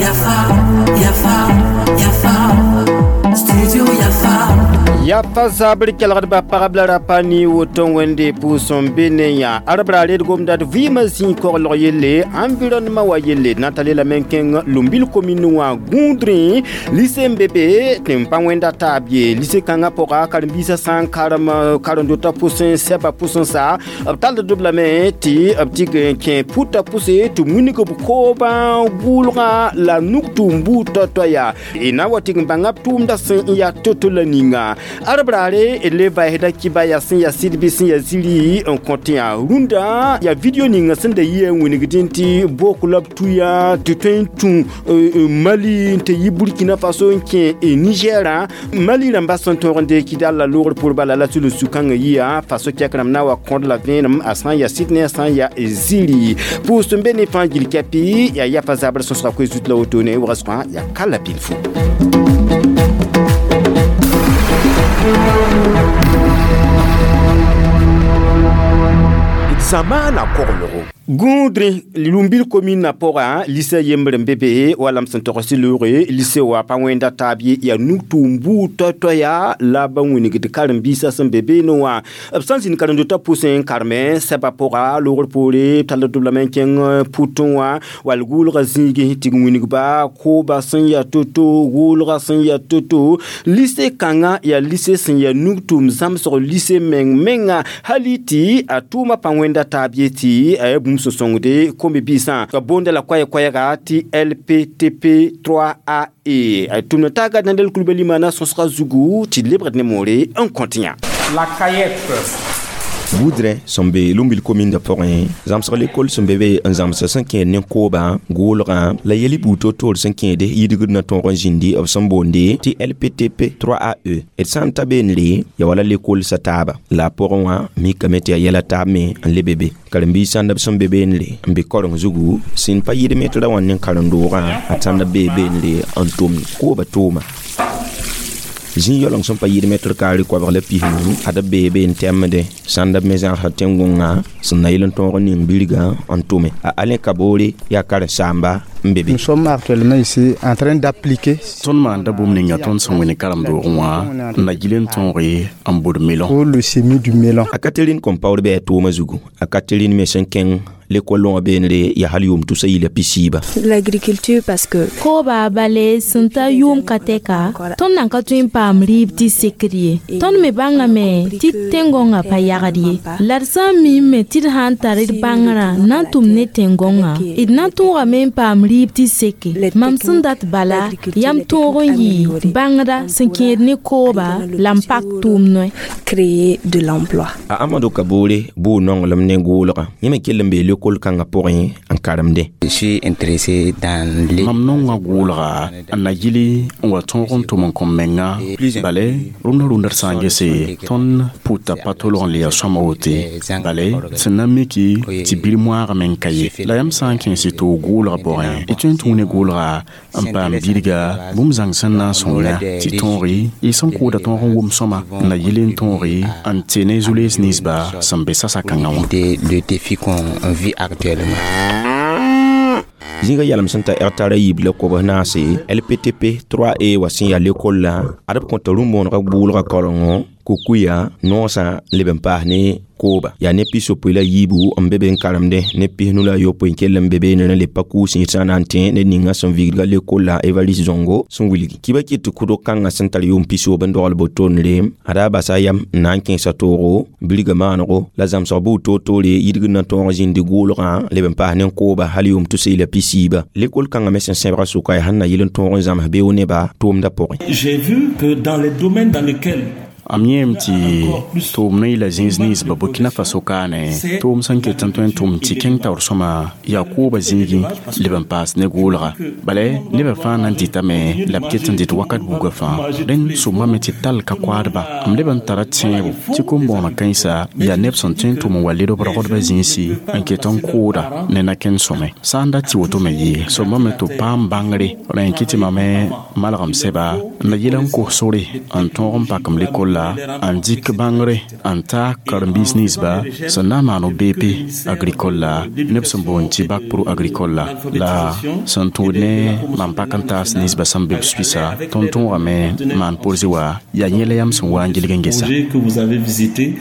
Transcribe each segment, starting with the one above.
Yafa, Yafa, Yafa, Studio Yafa. Yafa zabr kelgdba pagb la rapa ni woto wẽnde pʋʋs n be ne yã arbra red gomda d vɩɩmã zĩig koglg yelle environnement wa yelle na ta lelame n kẽng Lumbil commune wã gũudrẽ lycée n be be tɩ n pa wẽnda taab ye lycée kãngã pʋga karen-biisã sã n karem karen-dotã pʋsẽ sɛbã pʋsẽ sa b tall d lame tɩ b tɩg n kẽ pʋtã pʋse tɩ wilg b koobã gʋʋlgã la nug-tʋʋm buud toay-toaya yaa y na n wa tɩg n bãnga b tʋʋmdã sẽn n yaa to-to la ninga arbraare le vaesda kiba yaa sẽn yaa sɩd bɩ sẽn yaa ziri n kõ tɩ yã rũndã yaa video ninga sẽn da yɩ n wingdẽ tɩ bok la b tuya tɩ tõe n tũ Mali n tɩ yi Burkina Faso n kẽ Nigerã Mali rãmba sẽn tõog n deek dal la loogr pʋr bala la sulus sũ-kãngã yia Faso kɛk rãmb na wa kõd la vẽenem a sã n yaa sɩd ne a sã n yaa ziri pʋʋs n be ne fãa gil kɛpɩ yaa yafa zabr sõsga koe zut la wotone wagsgã yaa ka la bilfu. Zamaana koglgo. Gũudrẽ Lumbil commune pʋga lycée yembr n be be wala m sẽn togs tɩ loore lycée wa pa wẽnda taab ye yaa nug-tʋʋm buud toay-toaya la ba wĩnigd karen-biisã sẽn be beene wã b sã n zĩnd karen-dotã pʋsẽ n karme sɛbã pʋga loogr poore b tall d lame n kẽng pʋtẽ wã wall gʋʋlgã zĩigẽ tɩ wĩnigba kooba sẽn yaa to-to gʋʋlgã sẽn yaa to-to lycée kãngã yaa lycée sẽn yaa nug-tʋʋm zãmsg lycée meng menga hali tɩ a tʋʋmã pa wẽnda taab ye tɩ a yaa bũmb sẽn sõngde kombi-biisã ka boonda la koɛɛ-koɛɛga tɩ LPTP 3AE a tʋmd taaga Daniel Coulibaly maana sõsga zugu tɩ lebgd ne moore n kõt yã. La CAEP. Gũudrẽ sẽn be Lumbil commune pʋgẽ zãmsg lekol sẽn be be n zãmsa sẽn kẽed ne koobã gʋʋlgã la yel buud to-toor sẽn kẽede yidgd na tõog n zĩndi b sẽn boonde tɩ LPTP 3AE d sã n ta beenre ya wala lekol sa taaba la a pʋgẽ wã mikame tɩ yaa yɛla taab me n lebe be karen-biis sãnd b sẽn be beenre n be koreng zugu sẽn pa yɩd metra wã ne karen-doogã a tãnd b bee beenre n tʋmd koobã tʋʋma zĩig yaooleng sẽn pa yɩɩd mɛtr kaare koabg la pisnu ad b bee be n tɛmde sãnd b me zãgsã tẽn-gõngã sẽn na yel n tõog n ning bilgã n tʋme a Alain Kabore yaa karen-saamba n be be. Nous sommes actuellement ici en train d'appliquer. Tõnd maanda bũmb ninga tõnd sẽn wẽne karen-doogẽ wã n na gil n tõoge n bʋd melon. Pour le semis du melon. A Catherine Compaoré bɩ a tʋʋmã zugu a Catherine me sẽn kẽng l'école wã beenre yaa hal yʋʋm tʋsa yɩla pisiiba. L'agriculture parce que Kooba bale sẽn ta yʋʋm ka tɛka tõnd nan ka tõe n paam rɩɩb tɩ sekd ye tõnd me bãngame tɩ tẽn-gõngã pa yagd ye la d sã n miime tɩ d sã n tar d bãngrã na n tʋm ne tẽn-gõngã d na n tõogame n paam rɩɩb tɩ seke mam sẽn dat bala yam tõog n yɩ bãngda sẽn kẽed ne kooba la n pak tʋʋm noe. Créer de l'emploi. A Amadou Kabore bʋʋ nonglem ne gʋʋlgã yẽ me kell n bee l'école kãngã pʋgẽ n karemdẽ. Je suis intéressé dans les Mam nonga gʋʋlga n na yili n wa tõog n tʋm n kõ menga bale rũndã rũndã d sã n gese tõnd pʋta pa tolg n le yaa sõama wote bale sẽn na miki tɩ bir moaagame n ka ye la yãmb sã n kẽes y toog gʋʋlga pʋgẽ y tõe n tũu ne gʋʋlga n paam bilga bũmb zãng sẽn na n sõng yã tɩ tõoge y sẽn kʋʋda tõog n wʋm sõma n na yɩl n tõoge n tɩ ne zu-lees ninsba sẽn be sasa-kãngã wã. Le défi qu'on vit actuellement. Zĩiga yalem sẽn ta hectare a yiib la kobs naase LPTP 3E wa sẽn yaa lekol la ad b kõta rũm-bõonega gʋʋlga kaolengo kukuya noosã leb n paas ne kooba yaa ne pis-yopoe la yiibu n be be n karemdẽ ne pisnu la yopoe n kell n be beene le pa kuus sã na n tẽ ned ninga sẽn vigdga lekol la Evariste Zongo sẽn wilgi kiba kɩt tɩ kʋdg kãngã sẽn tar yʋʋm pisoob n dogl botonre a daa basa yam n na n kẽesa toogo bilga maanego la zãmsg buud toor-toore yidgd na tõog zĩndi gʋʋlgã leb n paas ne kooba hal yʋʋm tʋsa la pisiiba lekol kãngã me sẽn sẽbga sʋka yaa sẽn na yɩl n tõog n zãms beoog nebã tʋʋmdã pʋgẽ. J'ai vu que dans les domaines dans lesquels Am yẽem tɩ tʋʋm ne yɩla zĩis ninsba Burkina Faso kaane tʋʋm sẽn ket n tõe n tʋm tɩ kẽng taoor sõma yaa kooba zĩigẽ leb n paas ne gʋʋlga bala nebã fãa na n dɩtame la b ket n dɩt wakat buugã fãa rẽnd sõmbame tɩ tall ka koaadba m leb n tara tẽebo tɩ kom-bõonã kãensa yaa neb sẽn tõe n tʋm n wa led b rogdbã zĩisi n ket n kʋʋda ne na-kẽnd sõme sã n dat tɩ woto me yɩ sõmbame tɩ b paam bãngre rẽ n kɩ tɩ mame malgem sɛba n na yɩl n kos sore n tõog n pakem lekol agricole la n dɩk bãngre n ta karen-biis ninsba sẽn na n maan BP agricole la neb sẽn boond tɩ bac pro agricole la la sẽn tũud ne mam pak n taas ninsba sẽn be b Suisse tõnd tõogame maan porze wa yaa yẽ la yãmb sẽn wa n gilg n gesa.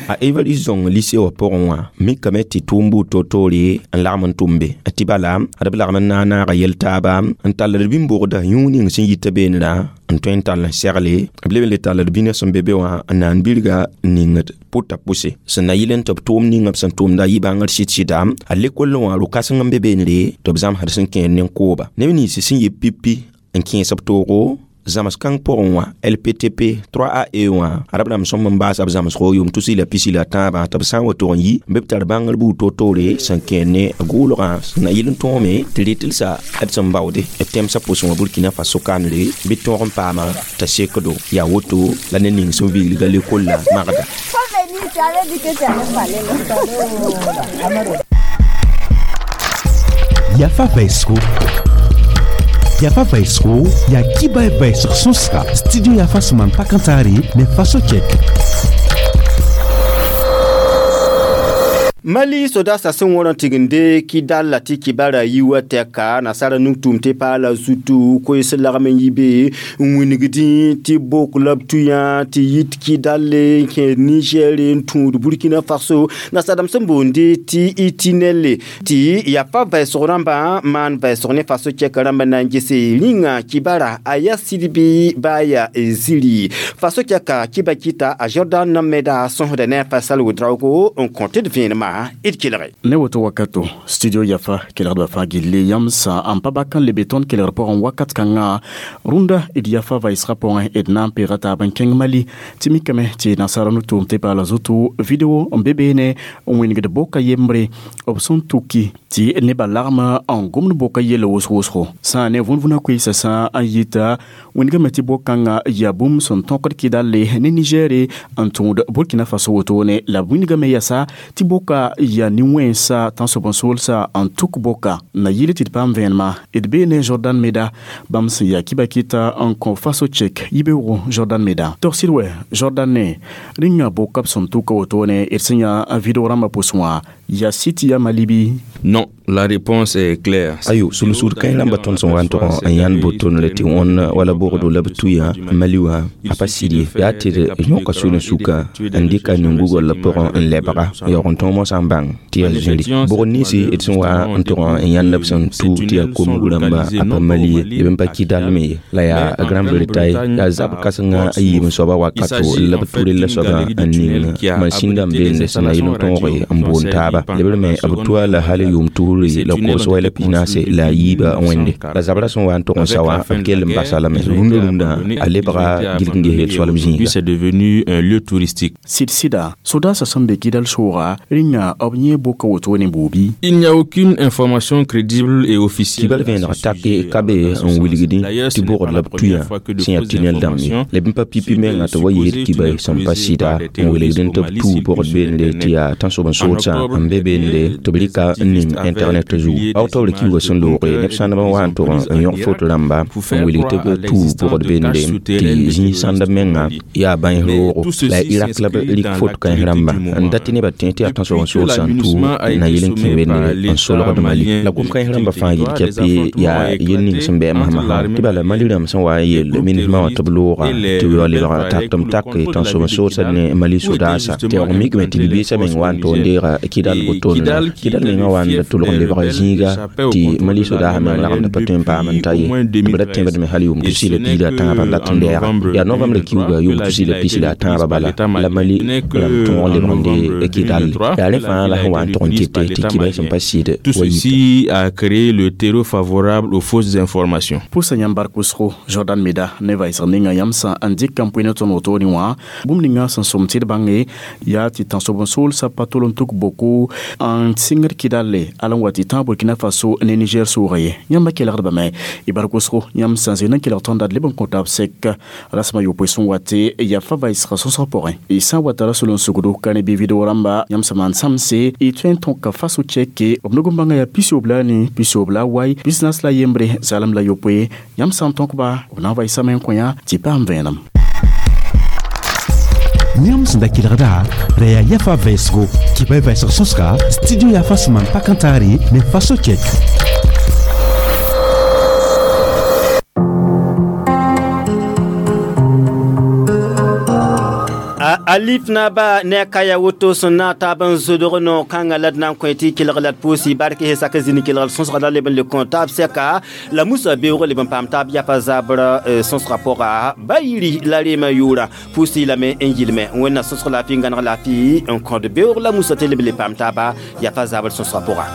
A Evariste Zong lycée wã pʋgẽ wã mikame tɩ tʋʋm buud toor-toore n lagm n tʋm be tɩ bala d b lagm n na n naaga yel-taaba n tall d bĩn-bogda yũud ning sẽn yita beenrã n tõe n tall n segle b leb n le tall d bĩnã sẽn be be wã n na n birga n ningd pʋta pʋse sẽn na yɩl n tɩ b tʋʋm ninga b sẽn tʋmda yɩ bãngr sɩd-sɩda a lekol wã ro-kãseng n be beenre tɩ b zãmsd sẽn kẽer nen-kooba neb nins sẽn yɩ pipi n kẽes b toogo zãms kãng pʋgẽ wã LPTP 3AE wã ad b rãmb sõm n baasa b zãmsgo yʋʋm tus la pisi la tãabã tɩ b sã n wa tog n yi n be b tar bãngr buud toor-toore sẽn kẽer ne gʋʋlgã sẽn na yɩl n tõome tɩ rɩtelse d sẽn baoode d tẽmsã pʋsẽ wã Burkina Faso kandre bɩ tõog n paama t'a sekdo yaa woto la ne ning sẽn viglga lekol la magda. Yafa Vaisro. Yafa Vaisro, ya kiba vaisr sonsra, studio Yafa suman pakantari, ne faso chek. Mali soda sẽn wõr n tigende Kidal la tɩ kibara yi wa tɛka nasara nug-tʋʋm tɩ paala zutu koees lagm n yi be n wingdẽ tɩ bok la b tʋyã tɩ yit Kidal n kẽer Niger n tũud Burkina Faso nasadame sẽn boonde tɩ itinelle tɩ yafa vɛɛsg rãmbã maan vɛɛsg ne faso kɛka rãmba na n gese rĩnga kibara a ya sidbi baa yaa ziri faso kɛka kiba kɩta a Jordan Meda sõsda ne a Fasal Ouedraogo n kõ tɩ d vẽenemã ne woto wakato studio Yafa kelgdba fãa gilli yãmb sã n pa bak n lebe tõnd kelgr pʋgẽ wakat kãngã rũndã d Yafa vaɩsgã pʋgẽ d na n peega taab n kẽng Mali tɩ mikame tɩ nasaara no-tʋʋm tɩ paala zutu video n be beene n wĩnigd boka yembre b sẽn tuki tɩ nebã lagm n gomd boka yella wʋsg-wʋsgo sã ne vũn-vũna koeesã sã n yita wĩnigame tɩ bok-kãngã yaa bũmb sẽn tõkd Kidale ne Nigɛre n tũud Burkina Faso wotone la b wĩnigame yasa tɩ boka yaa nin-wẽnsa tãnsoab-n-soolsa n tuk boka na yɩl tɩ d paam vẽenema d bee ne Jordan Meda bãmb sẽn yaa kiba kɩta n kõ faso chek yibeoogo Jordan Meda togsd wɛ Jordan ne rĩnga boka b sẽn tuka wotone d sẽn yã video rãmbã pʋsẽ wã yaa sɩ tɩ yaa Mali bɩ? Non, la réponse est claire. Ayo, sulsur kãe rãmba tõnd sẽn wa n tog n yãnd boton la tɩ wõn wala bogdo la b tuya Mali wã a pa sɩd ye yaa tɩ d yõka sũurẽ sʋka n dɩka nin-gugl pʋgẽ n lebga yaoog n tõog mosã n bãng tɩ yaa zĩri bʋgd ninsi d sẽn wa n tog n yãnd b sẽn tu tɩ yaa komg rãmba a pa Mali ye b n pa Kidal me ye la yaa Grande-Bretagne yaa zab kãsengã a yiib n soaba wakato la b ture la soabã n ning mansĩndã n beende sẽn na yɩl n tõoge n boond taaba lebr me b tua la hal yʋʋm tusri la kobs wɛ la pis-naase la a yiiba wẽnde la zabra sẽn wa n tog n sa wã b kell n basa lame rũndã rũndã a lebga gilg n gesel soalb zĩiga. C'est devenu un lieu touristique. Sɩd-sɩda sodaasã sẽn be Kidal sooga rĩnga b yẽ boka wotone buubi. Il n'y a aucune information crédible et officielle. Kibal vẽeneg take ka be n wilgdẽ tɩ bogd la b tuyã sẽn yaa tɩnɛl dãmb ye la b n pa pipi menga tɩ wa yeel kiba sẽn pa sɩda n wilgdẽ tɩ b tuu bogd beende tɩ yaa tãnsoab-n-soolsã n be beende tɩ b rɩka n ning internet zugu octobre kiuga sẽn looge neb sãndb n wa n tog n yõg foto rãmba n wilg tɩ b tuu bogd beende tɩ zĩig sãndb menga yaa bãens roogo la Irak la b rɩk foto kãens rãmba n dat tɩ nebã tẽ tɩ yaa tãnsoab-n-soolsã n tuu na yel n kẽ wende n solgd Mali la gom-kãens rãmba fãa yel kɛpe yaa yel ning sẽn bɩ masmasã tɩ bala Mali rãmb sẽn wa n yel minismã wã tɩ b looga tɩ wa lebga taktm tak tãnsoab-n-soolsã ne Mali sodaasa tɩ yaoog mikame tɩ bi-beesã meng wa n tog n deega Kidal wotone Kidal mengã wa n tʋlg n lebga zĩiga tɩ Mali sodaasã meng lagmda pa tõe n paam n ta ye tɩ b ra tẽbdme hal yʋʋm tusi la piig la tãabã n dat n lɛɛga yaa novembre kiuga yʋʋm tusi la pis la tãabã bala la Mali rãmb tõog n lebg n dee Kidal yaa rẽ fãa la sẽn wa n tog n kete tɩ kiba sẽn pa sɩd. Tout ceci a créé le terreau favorable aux fausses informations. Pʋsa yãmb bark wʋsgo Jordan Meda ne vaɩsg ninga yãmb sã n dɩk n pʋɩ ne tõnd wotone wã bũmb ninga sẽn sõm tɩ d bãnge yaa tɩ tãnsoab-n-soolsã pa tol n tuk boko n sɩngd Kidale ala n wa tɩ tã Burkina Faso ne Niger sʋʋga ye yãmba kelgdbame y bark wʋsgo yãmb sã n zɩ n kelg tõnd d leb n kõ taab sɛk rasmã yopoe sẽn wa tɩ yafa vaɩsgã sõsg pʋgẽ y sã n wa tara soln-sugdo ka ne bɩ video rãmba yãmb sã maan sãmse y tõe n tõka faso chɛke b nug n bãnga yaa pisob la ni pisob la wai bisnas la yembre zalem la yopoe yãmb sã n tõkba b na n vaɩsame n kõ yã tɩ paam vẽenem. Yãmb sẽn da kelgda ra yaa yafa vɛɛsgo kɩba y vɛɛsg sõsga studio yafa sẽn maan pak n taare ne faso kɛk. Alif na ba ne kaya woto sẽn na taab n zodg no kãngã la d na n kõ tɩ kelg la d pʋʋsi bark he sak zĩni kelg sõsga la leb n le kõ taab sɛka la musa beoog leb n paam taab yapa zabr sõsga pʋga ba yiri la reemã yʋʋra pʋʋsi lame n yɩlme wẽnna sõsg laafɩ n gãneg laafɩ n kõd beoog la musa tɩ leb le paam taaba yapa zabr sõsga pʋga.